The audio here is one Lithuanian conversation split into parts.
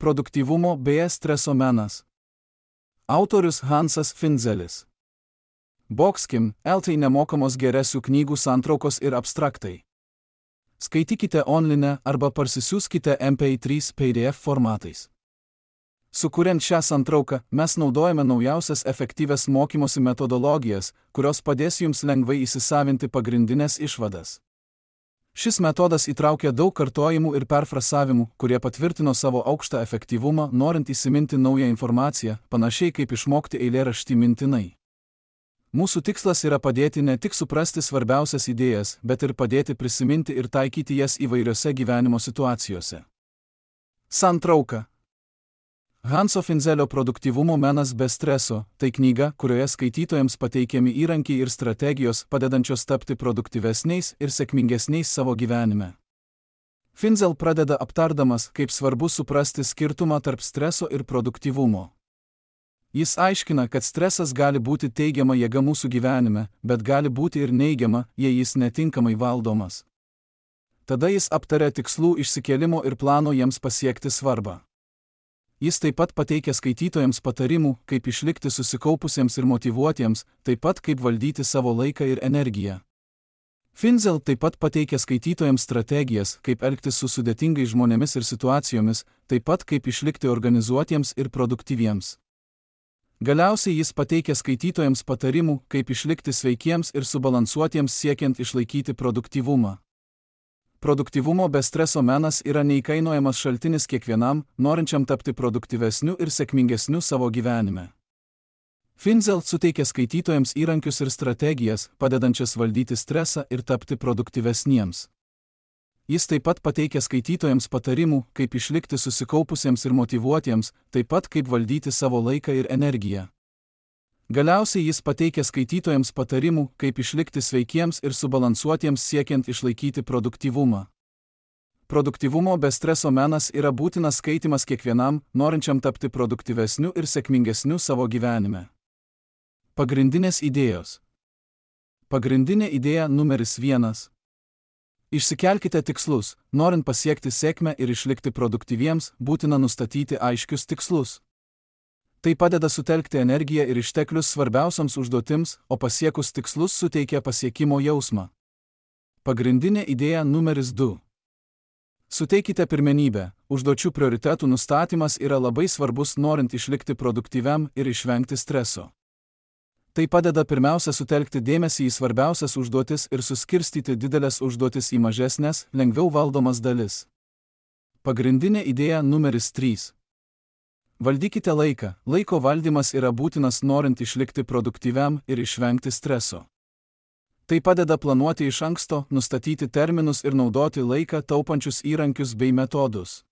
Produktyvumo bei streso menas. Autorius Hansas Finzelis. Boxkim, LT nemokamos geresių knygų santraukos ir abstraktai. Skaitykite online arba parsisiųskite MP3 PDF formatais. Sukuriant šią santrauką, mes naudojame naujausias efektyvias mokymosi metodologijas, kurios padės jums lengvai įsisavinti pagrindinės išvadas. Šis metodas įtraukia daug kartojimų ir perfrasavimų, kurie patvirtino savo aukštą efektyvumą, norint įsiminti naują informaciją, panašiai kaip išmokti eilėraštį mintinai. Mūsų tikslas yra padėti ne tik suprasti svarbiausias idėjas, bet ir padėti prisiminti ir taikyti jas įvairiose gyvenimo situacijose. Santrauka. Hanso Finzelio Produktyvumo menas be streso – tai knyga, kurioje skaitytojams pateikiami įrankiai ir strategijos, padedančios tapti produktyvesniais ir sėkmingesniais savo gyvenime. Finzel pradeda aptardamas, kaip svarbu suprasti skirtumą tarp streso ir produktyvumo. Jis aiškina, kad stresas gali būti teigiama jėga mūsų gyvenime, bet gali būti ir neigiama, jei jis netinkamai valdomas. Tada jis aptaria tikslų išsikėlimo ir plano jiems pasiekti svarbą. Jis taip pat pateikia skaitytojams patarimų, kaip išlikti susikaupusiems ir motyvuotiems, taip pat kaip valdyti savo laiką ir energiją. Finzel taip pat pateikia skaitytojams strategijas, kaip elgtis su sudėtingais žmonėmis ir situacijomis, taip pat kaip išlikti organizuotiems ir produktyviems. Galiausiai jis pateikia skaitytojams patarimų, kaip išlikti sveikiems ir subalansuotiems siekiant išlaikyti produktyvumą. Produktyvumo be streso menas yra neįkainojamas šaltinis kiekvienam, norinčiam tapti produktyvesniu ir sėkmingesniu savo gyvenime. Finzel suteikia skaitytojams įrankius ir strategijas, padedančias valdyti stresą ir tapti produktyvesniems. Jis taip pat pateikia skaitytojams patarimų, kaip išlikti susikaupusiems ir motyvuotiems, taip pat kaip valdyti savo laiką ir energiją. Galiausiai jis pateikia skaitytojams patarimų, kaip išlikti sveikiems ir subalansuotiems siekiant išlaikyti produktyvumą. Produktyvumo be streso menas yra būtinas skaitymas kiekvienam, norinčiam tapti produktyvesniu ir sėkmingesniu savo gyvenime. Pagrindinės idėjos. Pagrindinė idėja numeris 1. Išsikelkite tikslus. Norint pasiekti sėkmę ir išlikti produktyviems, būtina nustatyti aiškius tikslus. Tai padeda sutelkti energiją ir išteklius svarbiausiams užduotims, o pasiekus tikslus suteikia pasiekimo jausmą. Pagrindinė idėja numeris 2. Suteikite pirmenybę. Užduočių prioritetų nustatymas yra labai svarbus, norint išlikti produktyviam ir išvengti streso. Tai padeda pirmiausia sutelkti dėmesį į svarbiausias užduotis ir suskirstyti didelės užduotis į mažesnės, lengviau valdomas dalis. Pagrindinė idėja numeris 3. Valdykite laiką. Laiko valdymas yra būtinas, norint išlikti produktyviam ir išvengti streso. Tai padeda planuoti iš anksto, nustatyti terminus ir naudoti laiką taupančius įrankius bei metodus.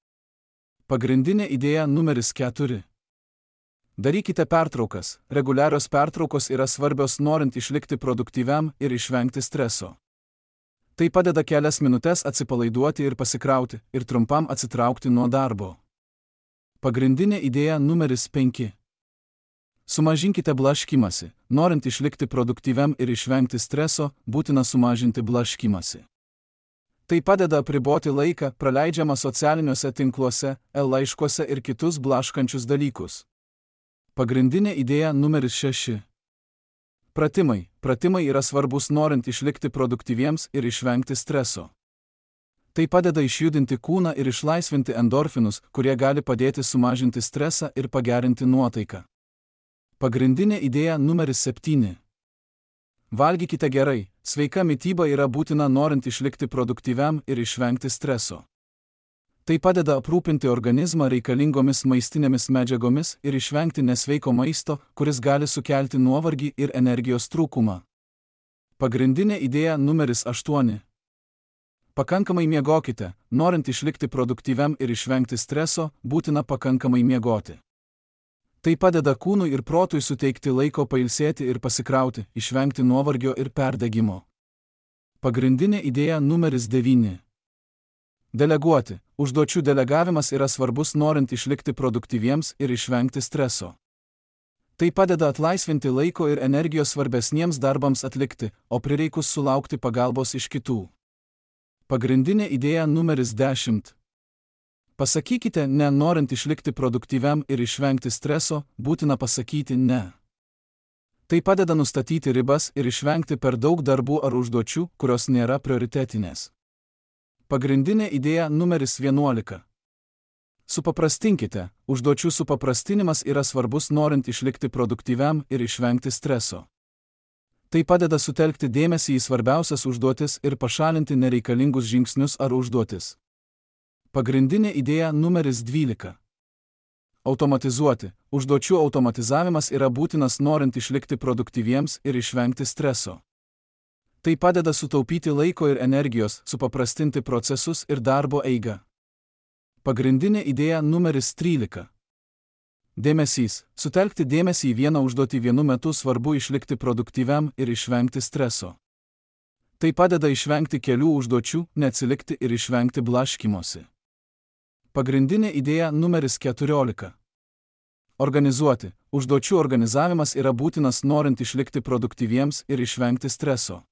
Pagrindinė idėja numeris 4. Darykite pertraukas. Reguliarios pertraukos yra svarbios, norint išlikti produktyviam ir išvengti streso. Tai padeda kelias minutes atsipalaiduoti ir pasikrauti, ir trumpam atsitraukti nuo darbo. Pagrindinė idėja numeris 5. Sumažinkite blaškymąsi. Norint išlikti produktyviam ir išvengti streso, būtina sumažinti blaškymąsi. Tai padeda apriboti laiką, praleidžiamą socialiniuose tinkluose, laiškuose ir kitus blaškančius dalykus. Pagrindinė idėja numeris 6. Pratimai. Pratimai yra svarbus, norint išlikti produktyviems ir išvengti streso. Tai padeda išjudinti kūną ir išlaisvinti endorfinus, kurie gali padėti sumažinti stresą ir pagerinti nuotaiką. Pagrindinė idėja numeris 7. Valgykite gerai. Sveika mityba yra būtina, norint išlikti produktyviam ir išvengti streso. Tai padeda aprūpinti organizmą reikalingomis maistinėmis medžiagomis ir išvengti nesveiko maisto, kuris gali sukelti nuovargį ir energijos trūkumą. Pagrindinė idėja numeris 8. Pakankamai miegokite. Norint išlikti produktyviam ir išvengti streso, būtina pakankamai miegoti. Tai padeda kūnui ir protui suteikti laiko pailsėti ir pasikrauti, išvengti nuovargio ir perdegimo. Pagrindinė idėja numeris 9. Deleguoti. Užduočių delegavimas yra svarbus, norint išlikti produktyviems ir išvengti streso. Tai padeda atlaisvinti laiko ir energijos svarbesniems darbams atlikti, o prireikus sulaukti pagalbos iš kitų. Pagrindinė idėja numeris 10. Pasakykite ne, norint išlikti produktyviam ir išvengti streso, būtina pasakyti ne. Tai padeda nustatyti ribas ir išvengti per daug darbų ar užduočių, kurios nėra prioritetinės. Pagrindinė idėja numeris 11. Supaprastinkite. Užduočių supaprastinimas yra svarbus norint išlikti produktyviam ir išvengti streso. Tai padeda sutelkti dėmesį į svarbiausias užduotis ir pašalinti nereikalingus žingsnius ar užduotis. Pagrindinė idėja numeris 12. Automatizuoti. Užduočių automatizavimas yra būtinas norint išlikti produktyviems ir išvengti streso. Tai padeda sutaupyti laiko ir energijos, supaprastinti procesus ir darbo eigą. Pagrindinė idėja numeris 13. Dėmesys. Sutelkti dėmesį į vieną užduotį vienu metu svarbu išlikti produktyviam ir išvengti streso. Tai padeda išvengti kelių užduočių, neatsilikti ir išvengti blaškymosi. Pagrindinė idėja numeris 14. Organizuoti. Užduočių organizavimas yra būtinas norint išlikti produktyviems ir išvengti streso.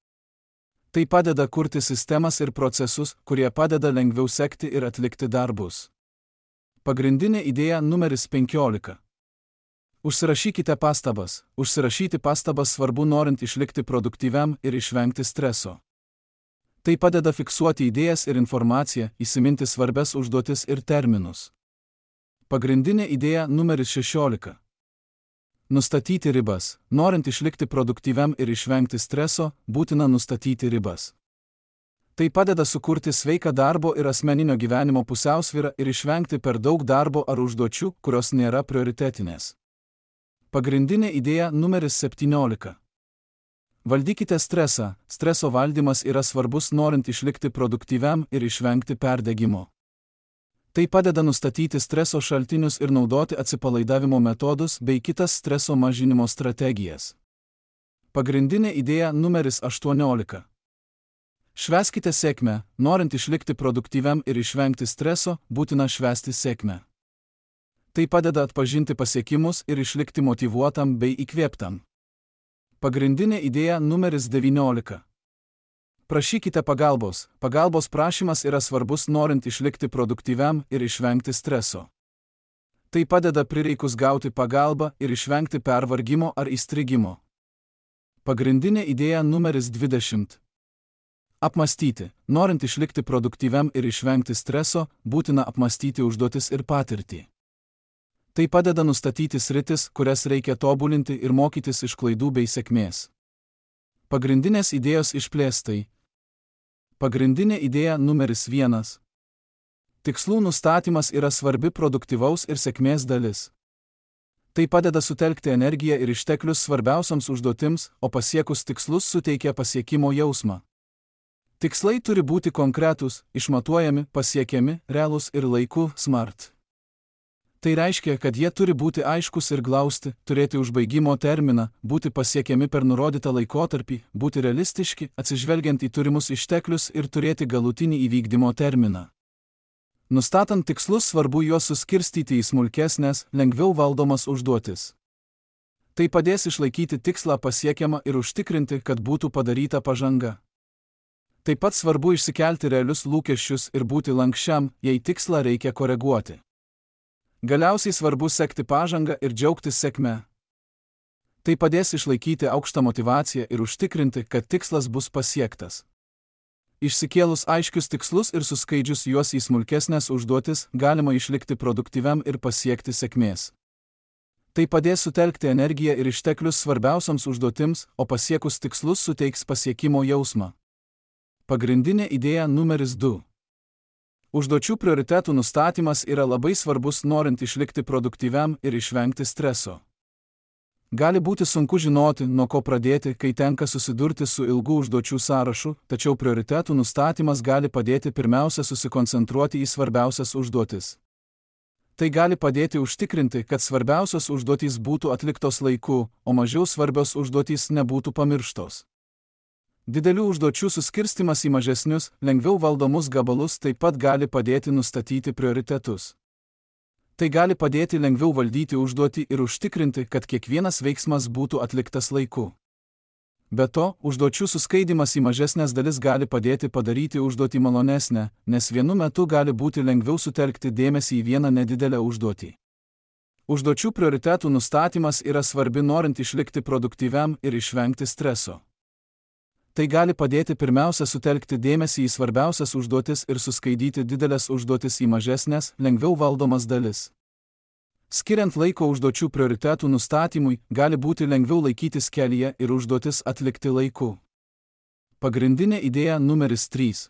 Tai padeda kurti sistemas ir procesus, kurie padeda lengviau sekti ir atlikti darbus. Pagrindinė idėja numeris 15. Užsirašykite pastabas. Užsirašyti pastabas svarbu norint išlikti produktyviam ir išvengti streso. Tai padeda fiksuoti idėjas ir informaciją, įsiminti svarbias užduotis ir terminus. Pagrindinė idėja numeris 16. Nustatyti ribas. Norint išlikti produktyviam ir išvengti streso, būtina nustatyti ribas. Tai padeda sukurti sveiką darbo ir asmeninio gyvenimo pusiausvyrą ir išvengti per daug darbo ar užduočių, kurios nėra prioritetinės. Pagrindinė idėja numeris 17. Valdykite stresą. Streso valdymas yra svarbus norint išlikti produktyviam ir išvengti perdegimo. Tai padeda nustatyti streso šaltinius ir naudoti atsipalaidavimo metodus bei kitas streso mažinimo strategijas. Pagrindinė idėja numeris 18. Švęskite sėkmę. Norint išlikti produktyviam ir išvengti streso, būtina švęsti sėkmę. Tai padeda atpažinti pasiekimus ir išlikti motyvuotam bei įkvėptam. Pagrindinė idėja numeris 19. Prašykite pagalbos. Pagalbos prašymas yra svarbus norint išlikti produktyviam ir išvengti streso. Tai padeda prireikus gauti pagalbą ir išvengti pervargimo ar įstrigimo. Pagrindinė idėja numeris 20. Apmąstyti. Norint išlikti produktyviam ir išvengti streso, būtina apmąstyti užduotis ir patirtį. Tai padeda nustatyti sritis, kurias reikia tobulinti ir mokytis iš klaidų bei sėkmės. Pagrindinės idėjos išplėstai. Pagrindinė idėja numeris 1. Tikslų nustatymas yra svarbi produktyvaus ir sėkmės dalis. Tai padeda sutelkti energiją ir išteklius svarbiausiams užduotims, o pasiekus tikslus suteikia pasiekimo jausmą. Tikslai turi būti konkretūs, išmatuojami, pasiekiami, realūs ir laiku smart. Tai reiškia, kad jie turi būti aiškus ir glausti, turėti užbaigimo terminą, būti pasiekiami per nurodytą laikotarpį, būti realistiški, atsižvelgiant į turimus išteklius ir turėti galutinį įvykdymo terminą. Nustatant tikslus svarbu juos suskirstyti į smulkesnės, lengviau valdomas užduotis. Tai padės išlaikyti tikslą pasiekiamą ir užtikrinti, kad būtų padaryta pažanga. Taip pat svarbu išsikelti realius lūkesčius ir būti lankščiam, jei tikslą reikia koreguoti. Galiausiai svarbu sekti pažangą ir džiaugtis sėkme. Tai padės išlaikyti aukštą motyvaciją ir užtikrinti, kad tikslas bus pasiektas. Išsikėlus aiškius tikslus ir suskaidžius juos į smulkesnės užduotis, galima išlikti produktyviam ir pasiekti sėkmės. Tai padės sutelkti energiją ir išteklius svarbiausiams užduotims, o pasiekus tikslus suteiks pasiekimo jausmą. Pagrindinė idėja numeris 2. Užduočių prioritetų nustatymas yra labai svarbus norint išlikti produktyviam ir išvengti streso. Gali būti sunku žinoti, nuo ko pradėti, kai tenka susidurti su ilgų užduočių sąrašu, tačiau prioritetų nustatymas gali padėti pirmiausia susikoncentruoti į svarbiausias užduotis. Tai gali padėti užtikrinti, kad svarbiausios užduotys būtų atliktos laiku, o mažiau svarbios užduotys nebūtų pamirštos. Didelių užduočių suskirstimas į mažesnius, lengviau valdomus gabalus taip pat gali padėti nustatyti prioritetus. Tai gali padėti lengviau valdyti užduotį ir užtikrinti, kad kiekvienas veiksmas būtų atliktas laiku. Be to, užduočių suskaidimas į mažesnės dalis gali padėti padaryti užduotį malonesnę, nes vienu metu gali būti lengviau sutelkti dėmesį į vieną nedidelę užduotį. Užduočių prioritetų nustatymas yra svarbi norint išlikti produktyviam ir išvengti streso. Tai gali padėti pirmiausia sutelkti dėmesį į svarbiausias užduotis ir suskaidyti didelės užduotis į mažesnės, lengviau valdomas dalis. Skiriant laiko užduočių prioritetų nustatymui, gali būti lengviau laikytis kelyje ir užduotis atlikti laiku. Pagrindinė idėja numeris 3.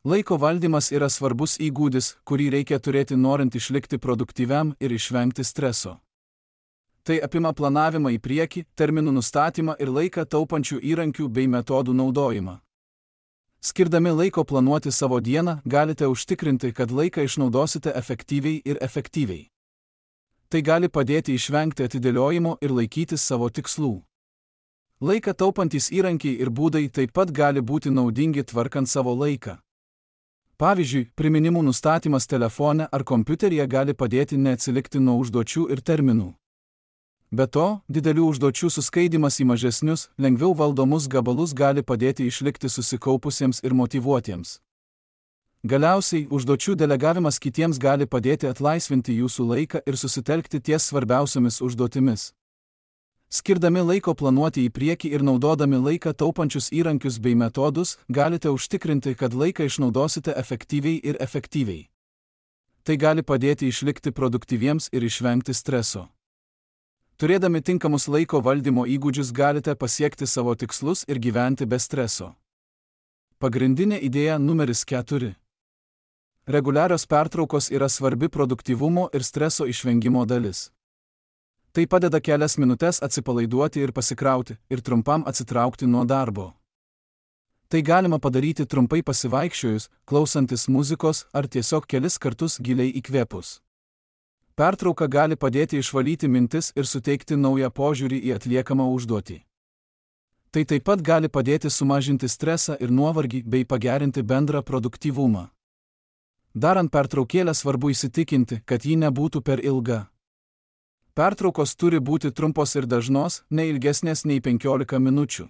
Laiko valdymas yra svarbus įgūdis, kurį reikia turėti norint išlikti produktyviam ir išvengti streso. Tai apima planavimą į priekį, terminų nustatymą ir laiką taupančių įrankių bei metodų naudojimą. Skirdami laiko planuoti savo dieną, galite užtikrinti, kad laiką išnaudosite efektyviai ir efektyviai. Tai gali padėti išvengti atidėliojimo ir laikytis savo tikslų. Laiką taupantys įrankiai ir būdai taip pat gali būti naudingi tvarkant savo laiką. Pavyzdžiui, priminimų nustatymas telefone ar kompiuteryje gali padėti neatsilikti nuo užduočių ir terminų. Be to, didelių užduočių suskaidimas į mažesnius, lengviau valdomus gabalus gali padėti išlikti susikaupusiems ir motyvuotiems. Galiausiai, užduočių delegavimas kitiems gali padėti atlaisvinti jūsų laiką ir susitelkti ties svarbiausiomis užduotimis. Skirdami laiko planuoti į priekį ir naudodami laiką taupančius įrankius bei metodus, galite užtikrinti, kad laiką išnaudosite efektyviai ir efektyviai. Tai gali padėti išlikti produktyviems ir išvengti streso. Turėdami tinkamus laiko valdymo įgūdžius galite pasiekti savo tikslus ir gyventi be streso. Pagrindinė idėja numeris 4. Reguliarios pertraukos yra svarbi produktyvumo ir streso išvengimo dalis. Tai padeda kelias minutes atsipalaiduoti ir pasikrauti, ir trumpam atsitraukti nuo darbo. Tai galima padaryti trumpai pasivaikščiojus, klausantis muzikos ar tiesiog kelis kartus giliai įkvėpus. Pertrauka gali padėti išvalyti mintis ir suteikti naują požiūrį į atliekamą užduotį. Tai taip pat gali padėti sumažinti stresą ir nuovargį bei pagerinti bendrą produktyvumą. Darant pertraukėlę svarbu įsitikinti, kad ji nebūtų per ilga. Pertraukos turi būti trumpos ir dažnos, ne ilgesnės nei 15 minučių.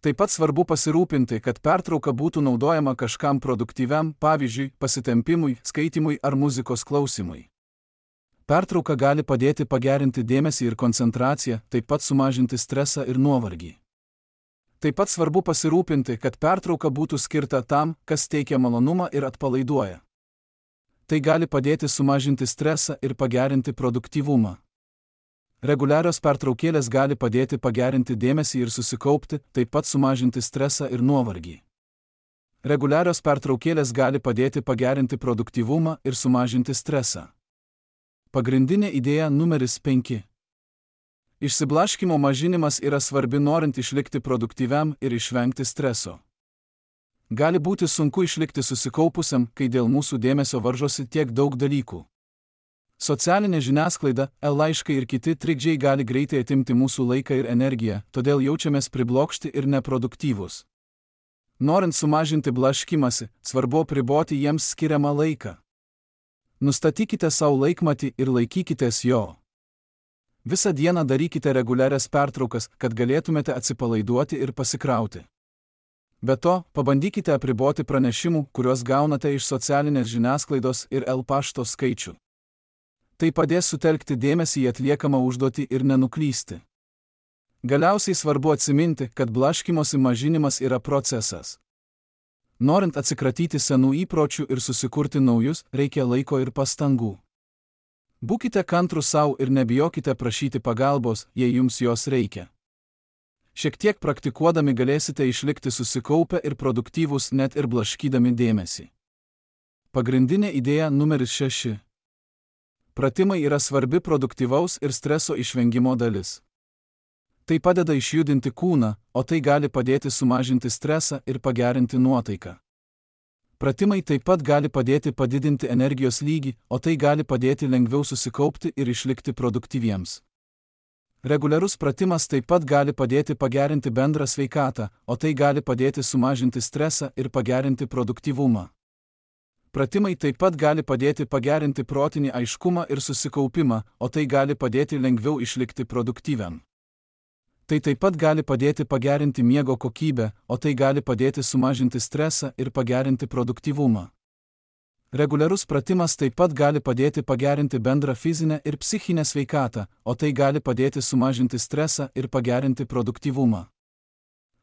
Taip pat svarbu pasirūpinti, kad pertrauka būtų naudojama kažkam produktyviam, pavyzdžiui, pasitempimui, skaitymui ar muzikos klausimui. Pertrauka gali padėti pagerinti dėmesį ir koncentraciją, taip pat sumažinti stresą ir nuovargį. Taip pat svarbu pasirūpinti, kad pertrauka būtų skirta tam, kas teikia malonumą ir atpalaiduoja. Tai gali padėti sumažinti stresą ir pagerinti produktyvumą. Reguliarios pertraukėlės gali padėti pagerinti dėmesį ir susikaupti, taip pat sumažinti stresą ir nuovargį. Reguliarios pertraukėlės gali padėti pagerinti produktyvumą ir sumažinti stresą. Pagrindinė idėja numeris 5. Išsiblaškymo mažinimas yra svarbi norint išlikti produktyviam ir išvengti streso. Gali būti sunku išlikti susikaupusiam, kai dėl mūsų dėmesio varžosi tiek daug dalykų. Socialinė žiniasklaida, laiškai ir kiti trikdžiai gali greitai atimti mūsų laiką ir energiją, todėl jaučiamės priblokšti ir neproduktyvūs. Norint sumažinti blaškymąsi, svarbu apriboti jiems skiriamą laiką. Nustatykite savo laikmatį ir laikykitės jo. Visą dieną darykite reguliarias pertraukas, kad galėtumėte atsipalaiduoti ir pasikrauti. Be to, pabandykite apriboti pranešimų, kuriuos gaunate iš socialinės žiniasklaidos ir pašto skaičių. Tai padės sutelkti dėmesį į atliekamą užduotį ir nenuklysti. Galiausiai svarbu atsiminti, kad blaškymosi mažinimas yra procesas. Norint atsikratyti senų įpročių ir susikurti naujus, reikia laiko ir pastangų. Būkite kantrūs savo ir nebijokite prašyti pagalbos, jei jums jos reikia. Šiek tiek praktikuodami galėsite išlikti susikaupę ir produktyvūs net ir blaškydami dėmesį. Pagrindinė idėja numeris 6. Pratimai yra svarbi produktyvaus ir streso išvengimo dalis. Tai padeda išjudinti kūną, o tai gali padėti sumažinti stresą ir pagerinti nuotaiką. Pratimai taip pat gali padėti padidinti energijos lygį, o tai gali padėti lengviau susikaupti ir išlikti produktyviems. Reguliarus pratimas taip pat gali padėti pagerinti bendrą sveikatą, o tai gali padėti sumažinti stresą ir pagerinti produktyvumą. Pratimai taip pat gali padėti pagerinti protinį aiškumą ir susikaupimą, o tai gali padėti lengviau išlikti produktyviam. Tai taip pat gali padėti pagerinti miego kokybę, o tai gali padėti sumažinti stresą ir pagerinti produktyvumą. Reguliarus pratimas taip pat gali padėti pagerinti bendrą fizinę ir psichinę sveikatą, o tai gali padėti sumažinti stresą ir pagerinti produktyvumą.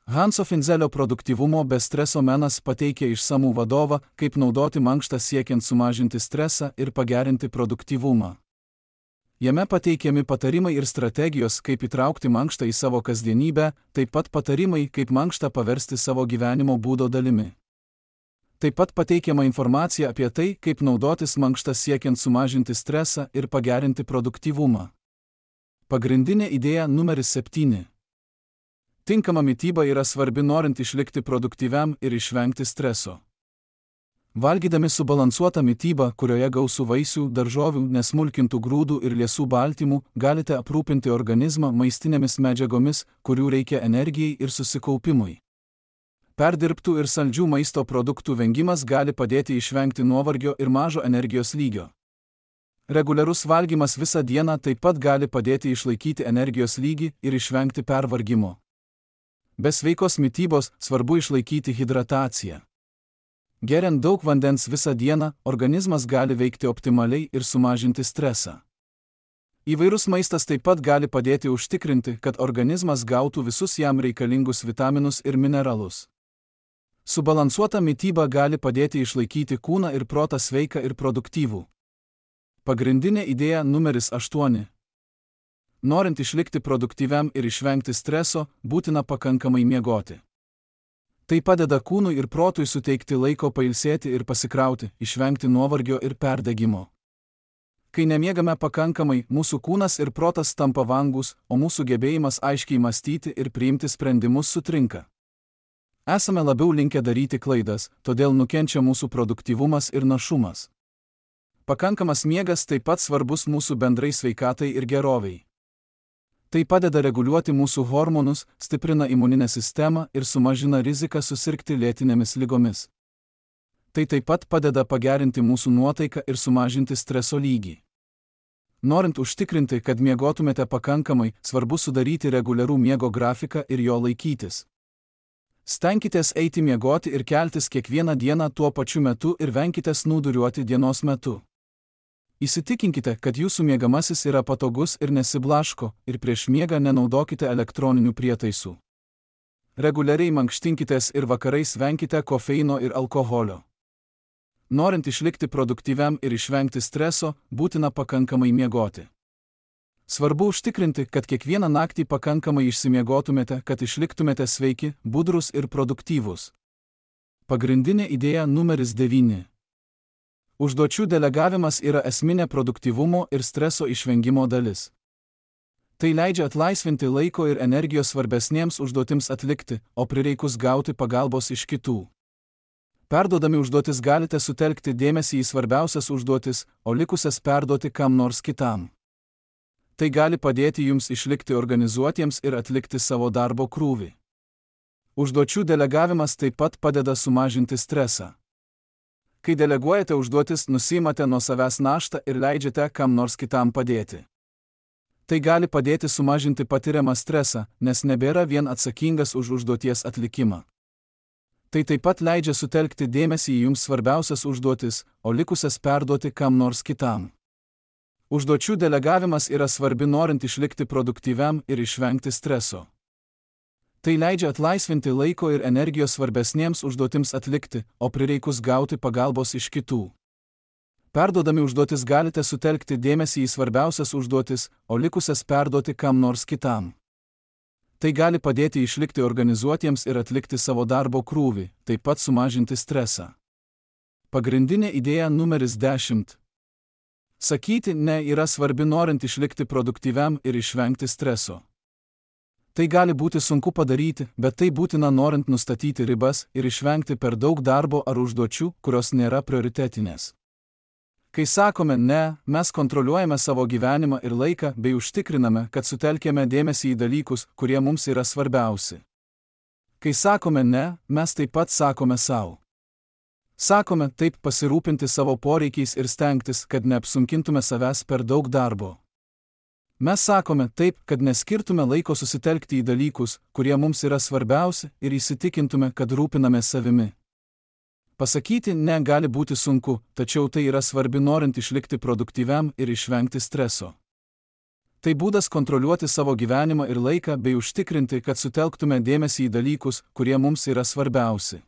Hanso Finzelio produktyvumo be streso menas pateikia išsamų vadovą, kaip naudoti mankštą siekiant sumažinti stresą ir pagerinti produktyvumą. Jame pateikiami patarimai ir strategijos, kaip įtraukti mankštą į savo kasdienybę, taip pat patarimai, kaip mankštą paversti savo gyvenimo būdo dalimi. Taip pat pateikiama informacija apie tai, kaip naudotis mankštą siekiant sumažinti stresą ir pagerinti produktyvumą. Pagrindinė idėja numeris 7. Tinkama mityba yra svarbi norint išlikti produktyviam ir išvengti streso. Valgydami subalansuotą mitybą, kurioje gausu vaisių, daržovių, nesmulkintų grūdų ir liesų baltymų, galite aprūpinti organizmą maistinėmis medžiagomis, kurių reikia energijai ir susikaupimui. Perdirbtų ir saldžių maisto produktų vengimas gali padėti išvengti nuovargio ir mažo energijos lygio. Reguliarus valgymas visą dieną taip pat gali padėti išlaikyti energijos lygį ir išvengti pervargimo. Be sveikos mitybos svarbu išlaikyti hidrataciją. Geriant daug vandens visą dieną, organizmas gali veikti optimaliai ir sumažinti stresą. Įvairus maistas taip pat gali padėti užtikrinti, kad organizmas gautų visus jam reikalingus vitaminus ir mineralus. Subalansuota mityba gali padėti išlaikyti kūną ir protą sveiką ir produktyvų. Pagrindinė idėja numeris 8. Norint išlikti produktyviam ir išvengti streso, būtina pakankamai miegoti. Tai padeda kūnui ir protui suteikti laiko pailsėti ir pasikrauti, išvengti nuovargio ir perdegimo. Kai nemiegame pakankamai, mūsų kūnas ir protas tampa vangus, o mūsų gebėjimas aiškiai mąstyti ir priimti sprendimus sutrinka. Esame labiau linkę daryti klaidas, todėl nukenčia mūsų produktyvumas ir našumas. Pakankamas miegas taip pat svarbus mūsų bendrai sveikatai ir geroviai. Tai padeda reguliuoti mūsų hormonus, stiprina imuninę sistemą ir sumažina riziką susirgti lėtinėmis ligomis. Tai taip pat padeda pagerinti mūsų nuotaiką ir sumažinti streso lygį. Norint užtikrinti, kad miegotumėte pakankamai, svarbu sudaryti reguliarų miego grafiką ir jo laikytis. Stenkitės eiti miegoti ir keltis kiekvieną dieną tuo pačiu metu ir venkite snūduriuoti dienos metu. Įsitikinkite, kad jūsų miegamasis yra patogus ir nesiblaško, ir prieš miegą nenaudokite elektroninių prietaisų. Reguliariai mankštinkitės ir vakarais venkite kofeino ir alkoholio. Norint išlikti produktyviam ir išvengti streso, būtina pakankamai miegoti. Svarbu užtikrinti, kad kiekvieną naktį pakankamai išsimiegotumėte, kad išliktumėte sveiki, budrus ir produktyvūs. Pagrindinė idėja numeris 9. Užduočių delegavimas yra esminė produktyvumo ir streso išvengimo dalis. Tai leidžia atlaisvinti laiko ir energijos svarbesniems užduotims atlikti, o prireikus gauti pagalbos iš kitų. Perduodami užduotis galite sutelkti dėmesį į svarbiausias užduotis, o likusias perduoti kam nors kitam. Tai gali padėti jums išlikti organizuotiems ir atlikti savo darbo krūvį. Užduočių delegavimas taip pat padeda sumažinti stresą. Kai deleguojate užduotis, nusiimate nuo savęs naštą ir leidžiate kam nors kitam padėti. Tai gali padėti sumažinti patiriamą stresą, nes nebėra vien atsakingas už užduoties atlikimą. Tai taip pat leidžia sutelkti dėmesį į jums svarbiausias užduotis, o likusias perduoti kam nors kitam. Užduočių delegavimas yra svarbi norint išlikti produktyviam ir išvengti streso. Tai leidžia atlaisvinti laiko ir energijos svarbesniems užduotims atlikti, o prireikus gauti pagalbos iš kitų. Perduodami užduotis galite sutelkti dėmesį į svarbiausias užduotis, o likusias perduoti kam nors kitam. Tai gali padėti išlikti organizuotiems ir atlikti savo darbo krūvį, taip pat sumažinti stresą. Pagrindinė idėja numeris 10. Sakyti ne yra svarbi norint išlikti produktyviam ir išvengti streso. Tai gali būti sunku padaryti, bet tai būtina norint nustatyti ribas ir išvengti per daug darbo ar užduočių, kurios nėra prioritetinės. Kai sakome ne, mes kontroliuojame savo gyvenimą ir laiką bei užtikriname, kad sutelkėme dėmesį į dalykus, kurie mums yra svarbiausi. Kai sakome ne, mes taip pat sakome sau. Sakome taip pasirūpinti savo poreikiais ir stengtis, kad neapsunkintume savęs per daug darbo. Mes sakome taip, kad neskirtume laiko susitelkti į dalykus, kurie mums yra svarbiausi, ir įsitikintume, kad rūpinamės savimi. Pasakyti ne gali būti sunku, tačiau tai yra svarbi norint išlikti produktyviam ir išvengti streso. Tai būdas kontroliuoti savo gyvenimą ir laiką bei užtikrinti, kad sutelktume dėmesį į dalykus, kurie mums yra svarbiausi.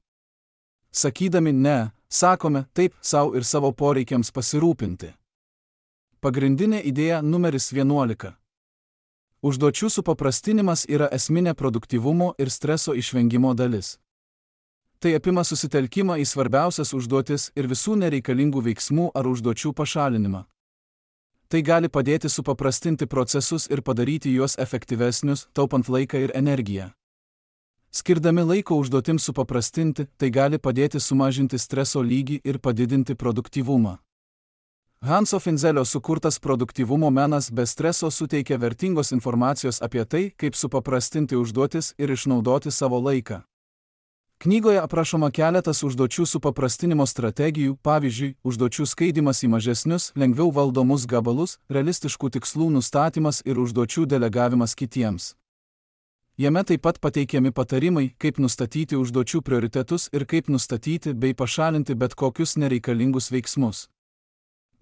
Sakydami ne, sakome taip sau ir savo poreikiams pasirūpinti. Pagrindinė idėja numeris 11. Užduočių supaprastinimas yra esminė produktyvumo ir streso išvengimo dalis. Tai apima susitelkimą į svarbiausias užduotis ir visų nereikalingų veiksmų ar užduočių pašalinimą. Tai gali padėti supaprastinti procesus ir padaryti juos efektyvesnius, taupant laiką ir energiją. Skirdami laiko užduotims supaprastinti, tai gali padėti sumažinti streso lygį ir padidinti produktyvumą. Hanso Finzelio sukurtas produktyvumo menas be streso suteikia vertingos informacijos apie tai, kaip supaprastinti užduotis ir išnaudoti savo laiką. Knygoje aprašoma keletas užduočių supaprastinimo strategijų, pavyzdžiui, užduočių skaidimas į mažesnius, lengviau valdomus gabalus, realistiškų tikslų nustatymas ir užduočių delegavimas kitiems. Jame taip pat pateikiami patarimai, kaip nustatyti užduočių prioritetus ir kaip nustatyti bei pašalinti bet kokius nereikalingus veiksmus.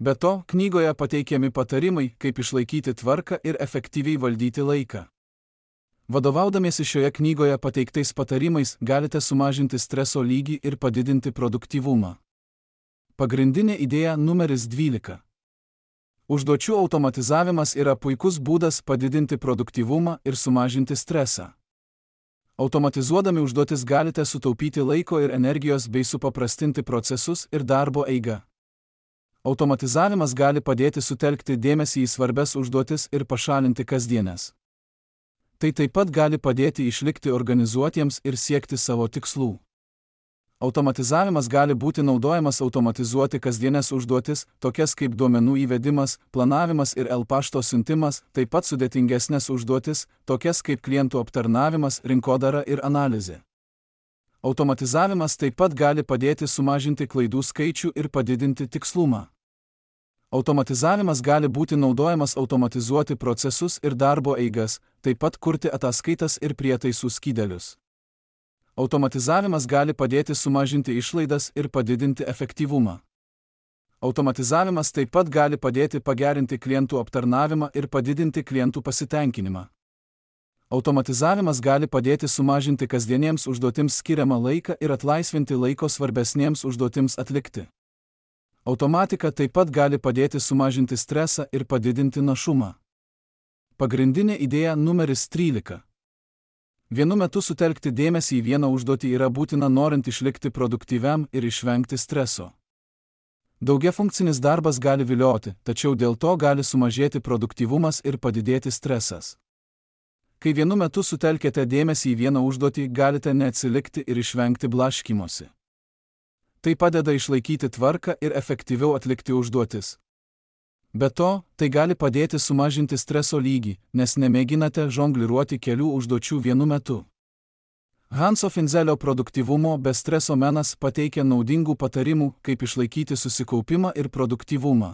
Be to, knygoje pateikiami patarimai, kaip išlaikyti tvarką ir efektyviai valdyti laiką. Vadovaudamiesi šioje knygoje pateiktais patarimais galite sumažinti streso lygį ir padidinti produktyvumą. Pagrindinė idėja numeris 12. Užduočių automatizavimas yra puikus būdas padidinti produktyvumą ir sumažinti stresą. Automatizuodami užduotis galite sutaupyti laiko ir energijos bei supaprastinti procesus ir darbo eigą. Automatizavimas gali padėti sutelkti dėmesį į svarbias užduotis ir pašalinti kasdienes. Tai taip pat gali padėti išlikti organizuotiems ir siekti savo tikslų. Automatizavimas gali būti naudojamas automatizuoti kasdienes užduotis, tokias kaip duomenų įvedimas, planavimas ir e-pašto siuntimas, taip pat sudėtingesnės užduotis, tokias kaip klientų aptarnavimas, rinkodara ir analizė. Automatizavimas taip pat gali padėti sumažinti klaidų skaičių ir padidinti tikslumą. Automatizavimas gali būti naudojamas automatizuoti procesus ir darbo eigas, taip pat kurti ataskaitas ir prietaisų skydelius. Automatizavimas gali padėti sumažinti išlaidas ir padidinti efektyvumą. Automatizavimas taip pat gali padėti pagerinti klientų aptarnavimą ir padidinti klientų pasitenkinimą. Automatizavimas gali padėti sumažinti kasdieniems užduotims skiriamą laiką ir atlaisvinti laiko svarbesniems užduotims atlikti. Automatika taip pat gali padėti sumažinti stresą ir padidinti našumą. Pagrindinė idėja numeris 13. Vienu metu sutelkti dėmesį į vieną užduotį yra būtina norint išlikti produktyviam ir išvengti streso. Daugiafunkcinis darbas gali vilioti, tačiau dėl to gali sumažėti produktyvumas ir padidėti stresas. Kai vienu metu sutelkėte dėmesį į vieną užduotį, galite neatsilikti ir išvengti blaškymosi. Tai padeda išlaikyti tvarką ir efektyviau atlikti užduotis. Be to, tai gali padėti sumažinti streso lygį, nes nemėginate žongliruoti kelių užduočių vienu metu. Hanso Finzelio produktyvumo be streso menas pateikia naudingų patarimų, kaip išlaikyti susikaupimą ir produktyvumą.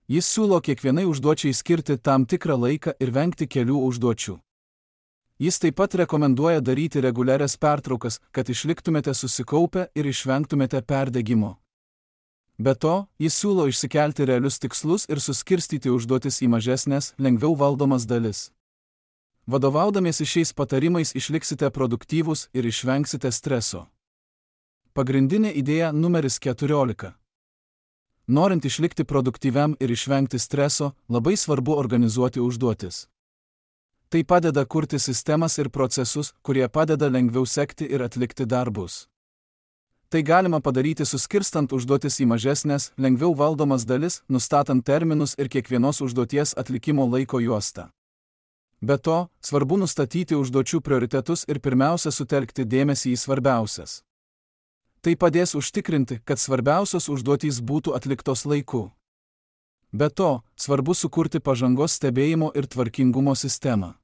Jis siūlo kiekvienai užduočiai skirti tam tikrą laiką ir vengti kelių užduočių. Jis taip pat rekomenduoja daryti reguliarias pertraukas, kad išliktumėte susikaupę ir išvengtumėte perdegimo. Be to, jis siūlo išsikelti realius tikslus ir suskirstyti užduotis į mažesnės, lengviau valdomas dalis. Vadovaudamiesi šiais patarimais išliksite produktyvūs ir išvengsite streso. Pagrindinė idėja numeris 14. Norint išlikti produktyviam ir išvengti streso, labai svarbu organizuoti užduotis. Tai padeda kurti sistemas ir procesus, kurie padeda lengviau sekti ir atlikti darbus. Tai galima padaryti suskirstant užduotis į mažesnės, lengviau valdomas dalis, nustatant terminus ir kiekvienos užduoties atlikimo laiko juostą. Be to, svarbu nustatyti užduočių prioritetus ir pirmiausia sutelkti dėmesį į svarbiausias. Tai padės užtikrinti, kad svarbiausios užduotys būtų atliktos laiku. Be to, svarbu sukurti pažangos stebėjimo ir tvarkingumo sistemą.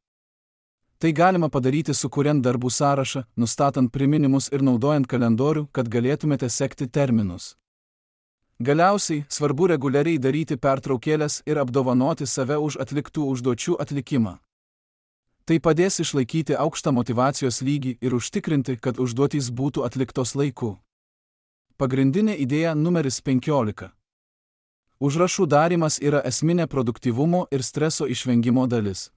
Tai galima padaryti sukuriant darbų sąrašą, nustatant priminimus ir naudojant kalendorių, kad galėtumėte sekti terminus. Galiausiai, svarbu reguliariai daryti pertraukėles ir apdovanoti save už atliktų užduočių atlikimą. Tai padės išlaikyti aukštą motyvacijos lygį ir užtikrinti, kad užduotys būtų atliktos laiku. Pagrindinė idėja numeris 15. Užrašų darymas yra esminė produktyvumo ir streso išvengimo dalis.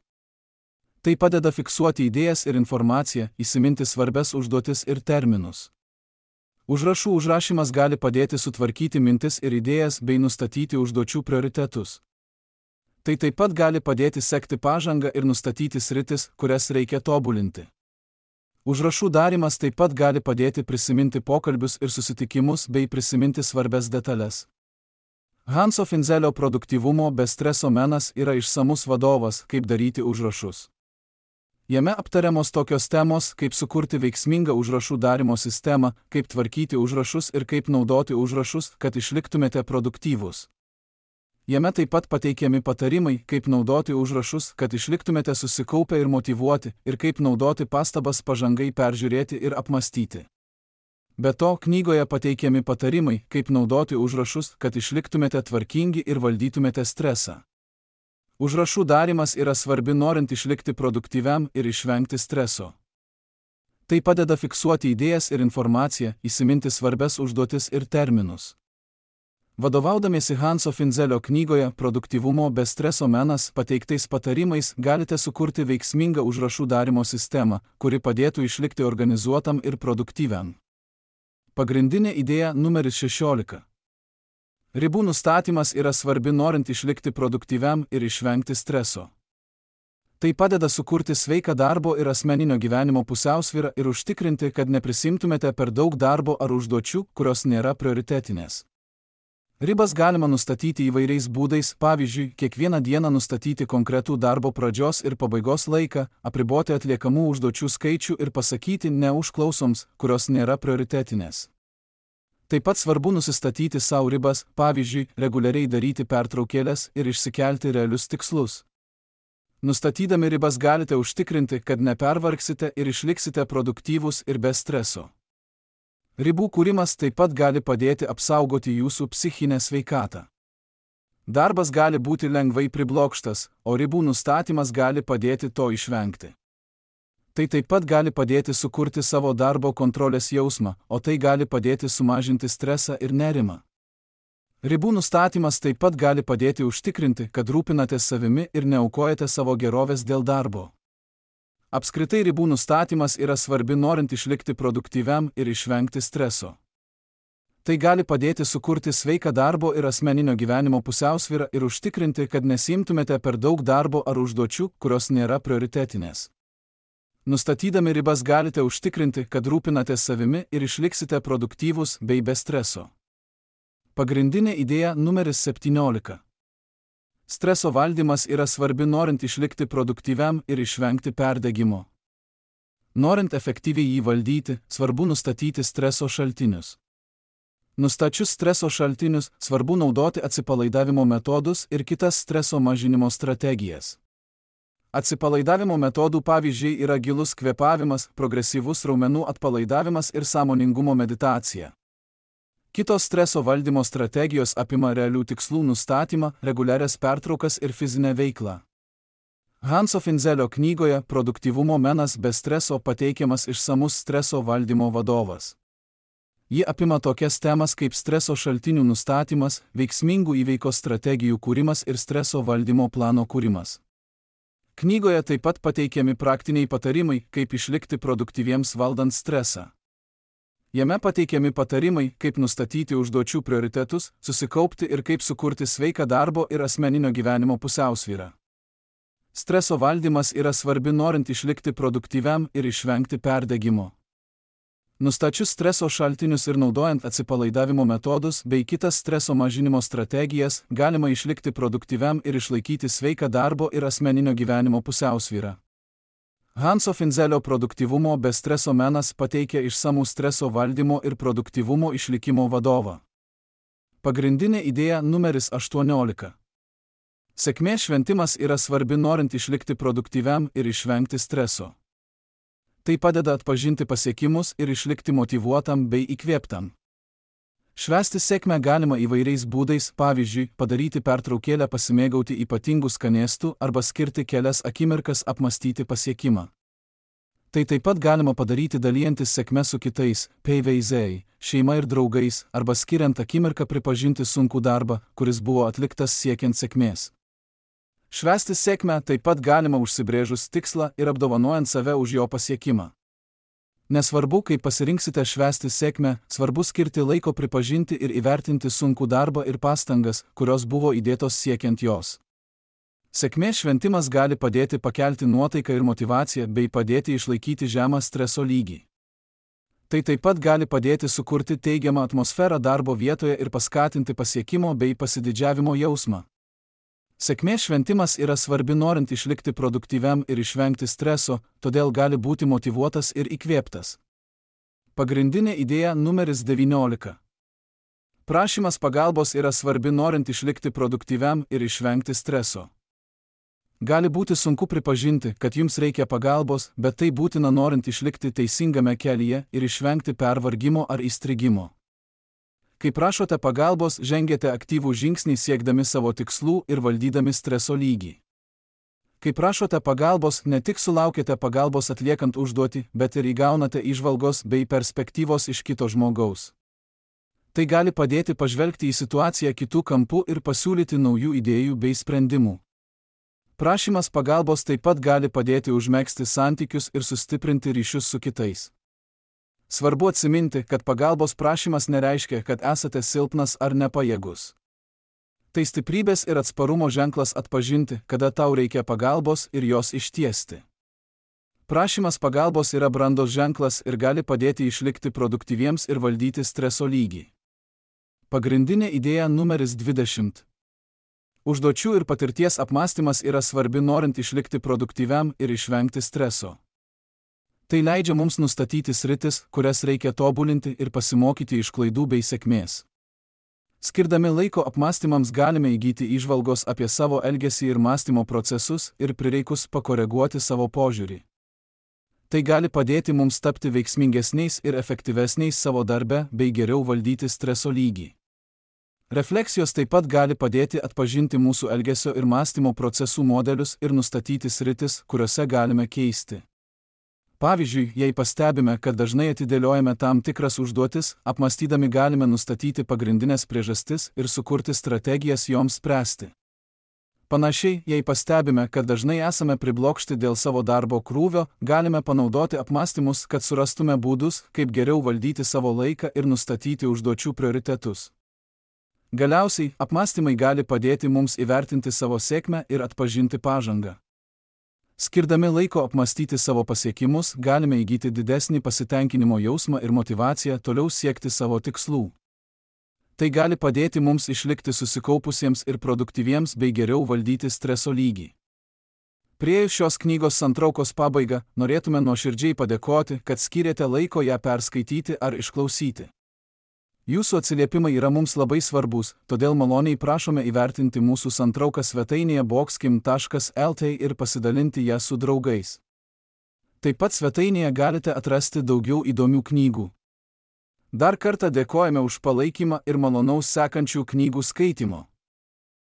Tai padeda fiksuoti idėjas ir informaciją, įsiminti svarbias užduotis ir terminus. Užrašų užrašymas gali padėti sutvarkyti mintis ir idėjas bei nustatyti užduočių prioritetus. Tai taip pat gali padėti sekti pažangą ir nustatyti sritis, kurias reikia tobulinti. Užrašų darymas taip pat gali padėti prisiminti pokalbius ir susitikimus bei prisiminti svarbias detalės. Hanso Finzelio produktyvumo be streso menas yra išsamus vadovas, kaip daryti užrašus. Jame aptariamos tokios temos, kaip sukurti veiksmingą užrašų darymo sistemą, kaip tvarkyti užrašus ir kaip naudoti užrašus, kad išliktumėte produktyvūs. Jame taip pat pateikiami patarimai, kaip naudoti užrašus, kad išliktumėte susikaupę ir motyvuoti, ir kaip naudoti pastabas pažangai peržiūrėti ir apmastyti. Be to, knygoje pateikiami patarimai, kaip naudoti užrašus, kad išliktumėte tvarkingi ir valdytumėte stresą. Užrašų darymas yra svarbi norint išlikti produktyviam ir išvengti streso. Tai padeda fiksuoti idėjas ir informaciją, įsiminti svarbias užduotis ir terminus. Vadovaudamiesi Hanso Finzelio knygoje Produktyvumo be streso menas pateiktais patarimais galite sukurti veiksmingą užrašų darymo sistemą, kuri padėtų išlikti organizuotam ir produktyviam. Pagrindinė idėja numeris 16. Ribų nustatymas yra svarbi norint išlikti produktyviam ir išvengti streso. Tai padeda sukurti sveiką darbo ir asmeninio gyvenimo pusiausvyrą ir užtikrinti, kad neprisimtumėte per daug darbo ar užduočių, kurios nėra prioritetinės. Ribas galima nustatyti įvairiais būdais, pavyzdžiui, kiekvieną dieną nustatyti konkretų darbo pradžios ir pabaigos laiką, apriboti atliekamų užduočių skaičių ir pasakyti ne užklausoms, kurios nėra prioritetinės. Taip pat svarbu nusistatyti savo ribas, pavyzdžiui, reguliariai daryti pertraukėles ir išsikelti realius tikslus. Nustatydami ribas galite užtikrinti, kad nepervargsite ir išliksite produktyvūs ir be streso. Ribų kūrimas taip pat gali padėti apsaugoti jūsų psichinę sveikatą. Darbas gali būti lengvai priblokštas, o ribų nustatymas gali padėti to išvengti. Tai taip pat gali padėti sukurti savo darbo kontrolės jausmą, o tai gali padėti sumažinti stresą ir nerimą. Ribų nustatymas taip pat gali padėti užtikrinti, kad rūpinatės savimi ir neaukojate savo gerovės dėl darbo. Apskritai ribų nustatymas yra svarbi norint išlikti produktyviam ir išvengti streso. Tai gali padėti sukurti sveiką darbo ir asmeninio gyvenimo pusiausvyrą ir užtikrinti, kad nesiimtumėte per daug darbo ar užduočių, kurios nėra prioritetinės. Nustatydami ribas galite užtikrinti, kad rūpinatės savimi ir išliksite produktyvūs bei be streso. Pagrindinė idėja numeris 17. Streso valdymas yra svarbi norint išlikti produktyviam ir išvengti perdegimo. Norint efektyviai jį valdyti, svarbu nustatyti streso šaltinius. Nustačius streso šaltinius, svarbu naudoti atsipalaidavimo metodus ir kitas streso mažinimo strategijas. Atsipalaidavimo metodų pavyzdžiai yra gilus kvėpavimas, progresyvus raumenų atpalaidavimas ir sąmoningumo meditacija. Kitos streso valdymo strategijos apima realių tikslų nustatymą, reguliarias pertraukas ir fizinę veiklą. Hanso Finzelio knygoje Produktyvumo menas be streso pateikiamas išsamus streso valdymo vadovas. Ji apima tokias temas kaip streso šaltinių nustatymas, veiksmingų įveikos strategijų kūrimas ir streso valdymo plano kūrimas. Knygoje taip pat pateikiami praktiniai patarimai, kaip išlikti produktyviems valdant stresą. Jame pateikiami patarimai, kaip nustatyti užduočių prioritetus, susikaupti ir kaip sukurti sveiką darbo ir asmeninio gyvenimo pusiausvyrą. Streso valdymas yra svarbi norint išlikti produktyviam ir išvengti perdegimo. Nustačius streso šaltinius ir naudojant atsipalaidavimo metodus bei kitas streso mažinimo strategijas, galima išlikti produktyviam ir išlaikyti sveiką darbo ir asmeninio gyvenimo pusiausvyrą. Hanso Finzelio Produktyvumo be streso menas pateikia išsamų streso valdymo ir produktyvumo išlikimo vadovą. Pagrindinė idėja numeris 18. Sėkmės šventimas yra svarbi norint išlikti produktyviam ir išvengti streso. Tai padeda atpažinti pasiekimus ir išlikti motyvuotam bei įkvėptam. Švęsti sėkmę galima įvairiais būdais, pavyzdžiui, padaryti pertraukėlę pasimėgauti ypatingų skanėstų arba skirti kelias akimirkas apmastyti pasiekimą. Tai taip pat galima padaryti dalijantis sėkme su kitais, PVZ, šeima ir draugais, arba skiriant akimirką pripažinti sunkų darbą, kuris buvo atliktas siekiant sėkmės. Švęsti sėkmę taip pat galima užsibrėžus tikslą ir apdovanojant save už jo pasiekimą. Nesvarbu, kaip pasirinksite švęsti sėkmę, svarbu skirti laiko pripažinti ir įvertinti sunkų darbą ir pastangas, kurios buvo įdėtos siekiant jos. Sėkmės šventimas gali padėti pakelti nuotaiką ir motyvaciją bei padėti išlaikyti žemą streso lygį. Tai taip pat gali padėti sukurti teigiamą atmosferą darbo vietoje ir paskatinti pasiekimo bei pasididžiavimo jausmą. Sėkmės šventimas yra svarbi norint išlikti produktyviam ir išvengti streso, todėl gali būti motyvuotas ir įkvėptas. Pagrindinė idėja numeris 19. Prašymas pagalbos yra svarbi norint išlikti produktyviam ir išvengti streso. Gali būti sunku pripažinti, kad jums reikia pagalbos, bet tai būtina norint išlikti teisingame kelyje ir išvengti pervargimo ar įstrigimo. Kai prašote pagalbos, žengiate aktyvų žingsnį siekdami savo tikslų ir valdydami streso lygį. Kai prašote pagalbos, ne tik sulaukite pagalbos atliekant užduotį, bet ir įgaunate įžvalgos bei perspektyvos iš kito žmogaus. Tai gali padėti pažvelgti į situaciją kitų kampų ir pasiūlyti naujų idėjų bei sprendimų. Prašymas pagalbos taip pat gali padėti užmegzti santykius ir sustiprinti ryšius su kitais. Svarbu atsiminti, kad pagalbos prašymas nereiškia, kad esate silpnas ar nepajėgus. Tai stiprybės ir atsparumo ženklas atpažinti, kada tau reikia pagalbos ir jos ištiesti. Prašymas pagalbos yra brandos ženklas ir gali padėti išlikti produktyviems ir valdyti streso lygį. Pagrindinė idėja numeris 20. Užduočių ir patirties apmąstymas yra svarbi norint išlikti produktyviam ir išvengti streso. Tai leidžia mums nustatyti sritis, kurias reikia tobulinti ir pasimokyti iš klaidų bei sėkmės. Skirdami laiko apmąstymams galime įgyti įžvalgos apie savo elgesį ir mąstymo procesus ir prireikus pakoreguoti savo požiūrį. Tai gali padėti mums tapti veiksmingesniais ir efektyvesniais savo darbe bei geriau valdyti streso lygį. Refleksijos taip pat gali padėti atpažinti mūsų elgesio ir mąstymo procesų modelius ir nustatyti sritis, kuriuose galime keisti. Pavyzdžiui, jei pastebime, kad dažnai atidėliojame tam tikras užduotis, apmąstydami galime nustatyti pagrindinės priežastis ir sukurti strategijas joms spręsti. Panašiai, jei pastebime, kad dažnai esame priblokšti dėl savo darbo krūvio, galime panaudoti apmąstymus, kad surastume būdus, kaip geriau valdyti savo laiką ir nustatyti užduočių prioritetus. Galiausiai, apmąstymai gali padėti mums įvertinti savo sėkmę ir atpažinti pažangą. Skirdami laiko apmąstyti savo pasiekimus, galime įgyti didesnį pasitenkinimo jausmą ir motyvaciją toliau siekti savo tikslų. Tai gali padėti mums išlikti susikaupusiems ir produktyviems bei geriau valdyti streso lygį. Priėjus šios knygos santraukos pabaigą, norėtume nuoširdžiai padėkoti, kad skyrėte laiko ją perskaityti ar išklausyti. Jūsų atsiliepimai yra mums labai svarbus, todėl maloniai prašome įvertinti mūsų santrauką svetainėje boxkim.lt ir pasidalinti ją su draugais. Taip pat svetainėje galite atrasti daugiau įdomių knygų. Dar kartą dėkojame už palaikymą ir malonaus sekančių knygų skaitimo.